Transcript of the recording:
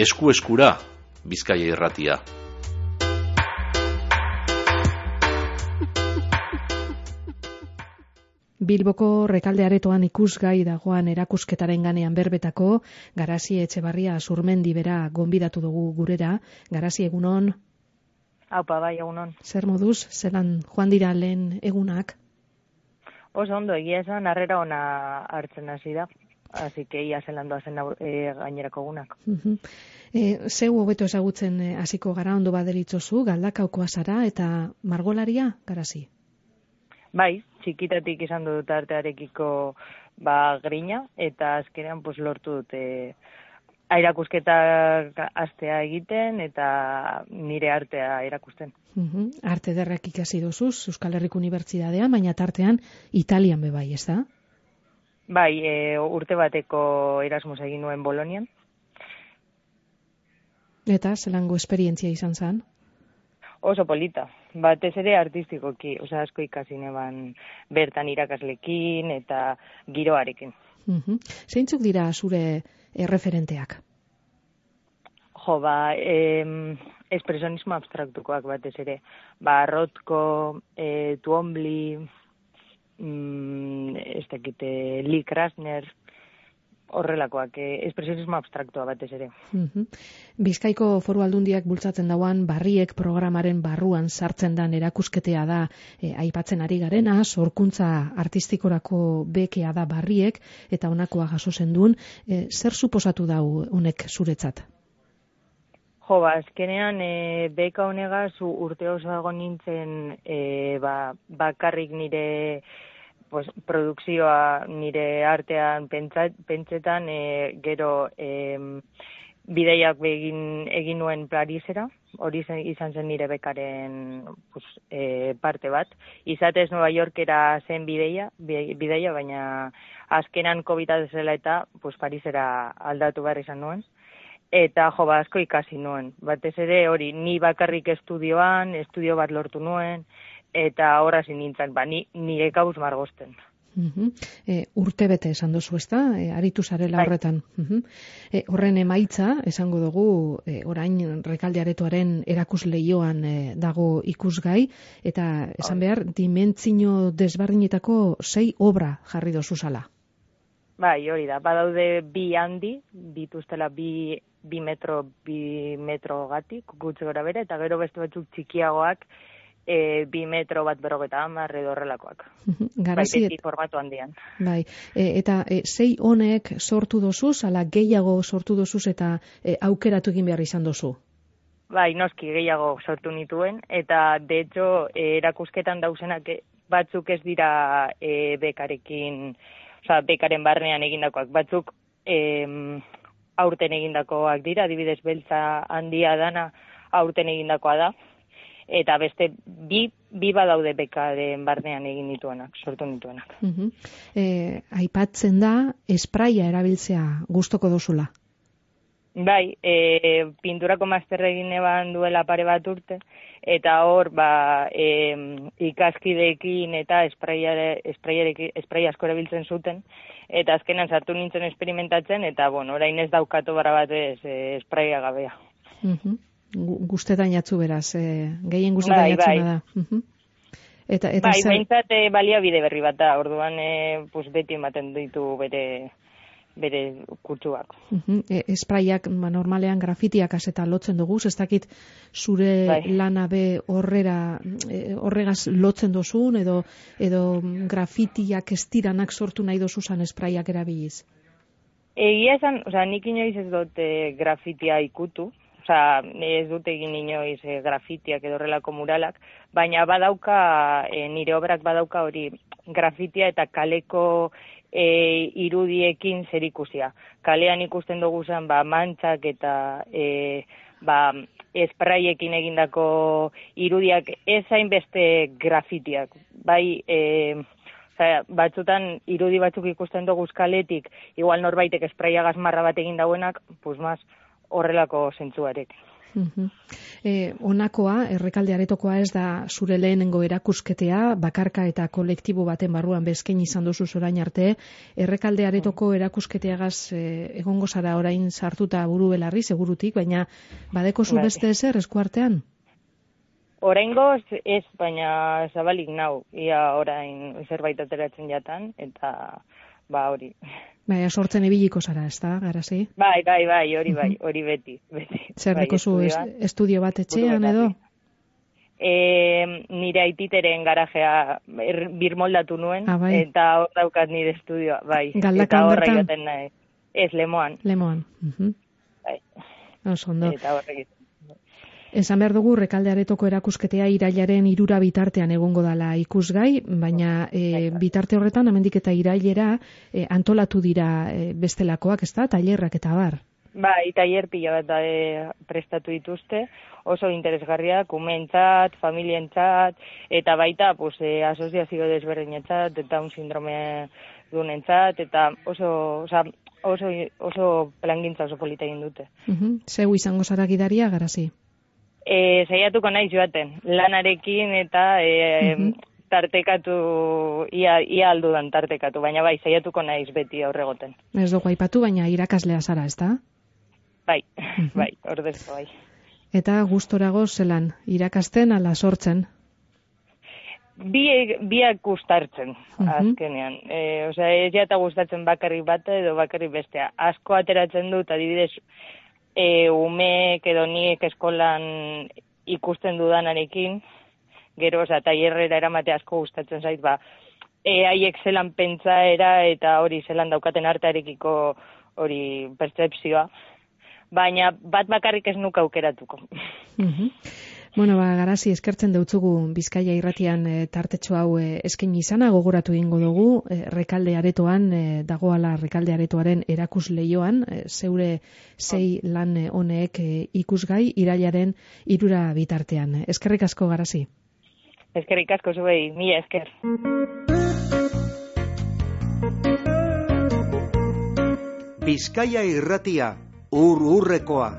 Esku-eskura, Bizkaia Irratia. Bilboko Rekalde aretoan ikusgai dagoan erakusketaren ganean berbetako Garazi Etxebarria Zurmendi bera gonbidatu dugu gurera. Garazi, egunon? Aupa, bai, egunon. Zer moduz, zelan joan dira lehen egunak? Oso ondo, egia esan, harrera ona hartzen hasi da. Así que ia zelan doazen gainerako egunak. Zeu hobeto ezagutzen hasiko gara, ondo baderitzozu, Galdakaokoa zara eta margolaria, Garazi? Bai, txikitatik izan dut artearekiko grina, eta azkenean lortu dute erakusketak astea egiten eta nire artea erakusten. Arte ederrak ikasi dozuz, Euskal Herriko Unibertsitatean, baina tartean Italian bebai, ez da? Bai, urte bateko Erasmus egin nuen Bolonian. Eta zelango esperientzia izan zen? Oso polita, batez ere artistikoki, asko ikasi neban bertan irakaslekin eta giroarekin. Zeintzuk dira zure referenteak? Espresionismo abstraktukoak batez ere. Rothko, Twombly, Lee Krasner, horrelakoak, espresionismo abstraktua batez ere. Bizkaiko Foru Aldundiak bultzatzen dauan Barriek programaren barruan sartzen dan erakusketea da aipatzen ari garena, sorkuntza artistikorako bekea da Barriek eta honakoa jaso zenduen. Zer suposatu dau honek zuretzat? Azkenean beka honegaz urte oso egon nintzen bakarrik nire produkzioa, nire artean pentsetan, gero bideiak egin nuen Parisera, hori izan zen nire bekaren parte bat. Izatez Nueva Yorkera zen bideia, baina azkenan COVID zela eta Parisera aldatu behar izan nuen. Eta asko ikasi nuen. Batez ere hori, ni bakarrik estudio bat lortu nuen, eta horra zin nintzen, nire kauz margosten. Urte bete esan duzu, ezta? Aritu zarela horretan. Horren emaitza, esango dugu, orain Rekalde aretoaren erakusleioan dago ikusgai, eta esan behar, dimentsio desberdinetako 6 obra jarri dozu zala. Bai, hori da. Badaude 2 handi, dituztela 2 metro gatik, gutxi gora bere, eta gero beste batzuk txikiagoak 2 metro bat 50 edo horrelakoak. Garazi, beti formatu handian. Bai, eta 6 honek sortu dozuz, ala gehiago sortu dozuz eta aukeratu egin behar izan dozu? Bai, noski gehiago sortu nituen, eta de hecho erakusketan dauzenak batzuk ez dira bekarekin, bekaren barnean egindakoak, batzuk aurten egindakoak dira, adibidez beltza handia dana aurten egindakoa da, eta beste bi badaude bekaren barnean egin dituenak, sortu nituenak. Aipatzen da, espraia erabiltzea gustoko dozula? Bai, pinturako masterra egin eban duela pare bat urte, eta hor ikaskideekin eta esprai asko erabiltzen zuten, eta azkenan sartu nintzen experimentatzen, eta orain ez daukatu bara batez espraia gabea. Gustetan jatzu beraz, gehien gustetan jatzuna da. Bai, behintzat baliabide berri bat da, orduan beti ematen ditu bere kutsuak. Espraiak normalean grafitiak eta lotzen dugu, ez dakit zure lana be horregaz lotzen dozun, edo grafitiak estiranak sortu nahi dozuzan espraiak erabiliz? Egia esan, nik inoiz ez dut grafitia ikutu, ez dut egin inoiz grafitiak edo horrelako muralak, baina badauka, nire obrak badauka hori grafitia eta kaleko irudiekin zerikusia. Kalean ikusten dugu zen mantxak eta espraiekin egindako irudiak ez hainbeste grafitiak. Bai, batzutan irudi batzuk ikusten dugu kaletik, igual norbaitek espraia gazmarra bat egin dauenak, horrelako zentzuarek. Honakoa, Errekalde Aretokoa ez da zure lehenengo erakusketea, bakarka eta kolektibo baten barruan bezken izan duzu orain arte. Errekalde Aretoko erakusketeagaz egongo zara orain sartuta buru belarri, segurutik, baina badeko zu beste ezer eskuartean? Oraingoz ez, baina zabalik nau, ia orain zerbait ateratzen jatan, eta hori. Baina sortzen ibiliko zara, ez da, Garasi? Bai, hori beti. Zer deko zu estudio bat etxean edo? Nire aititeren garajea birmoldatu nuen, eta hor daukat nire estudioa, bai. Galdakan bertan? Egiten nahi. Ez, Lemoan. Lemoan. Bai. Oso ondo. Eta horrek. Esan behar dugu, Errekalde Aretoko erakusketea irailaren 3 bitartean egongo dala ikusgai, baina bitarte horretan, hemendik eta irailera, antolatu dira bestelakoak, ez da, tailerrak eta bar. Bai, tailer pila bat prestatu dituzte, oso interesgarria, kumeentzat, familientzat, eta baita, asoziazio desberdinetzat, eta un sindrome dunentzat, eta oso plangintza oso polita egin dute. Zeu izango zara gidaria, Garasi? Saiatuko naiz joaten, lanarekin eta tartekatu, ia aldudan tartekatu, baina bai, saiatuko naiz beti aurregoten. Ez dugu aipatu, baina irakaslea zara, ez da? Bai, ordezko bai. Eta gustorago zelan, irakasten ala sortzen? Biak gustartzen, azkenean. Ez jata gustatzen bakarrik bata edo bakarrik bestea. Asko ateratzen dut, adibidez, umeek edo niek eskolan ikusten dudanarekin, gero, tailerrera eramate asko gustatzen zait, haiek zelan pentsaera eta hori zelan daukaten artearekiko hori pertzepzioa, baina bat bakarrik ez nuke aukeratuko. Bueno, Garasi, eskertzen deutzugu Bizkaia Irratian tartetxo hau eskaini izana, gogoratu egingo dugu, Rekalde Aretoan, dagoala Rekalde Aretoaren erakusleioan, zeure 6 lan honek ikusgai irailaren 3 bitartean. Eskerrik asko, Garasi. Eskerrik asko zuei, mila esker. Bizkaia Irratia, ur-urrekoa.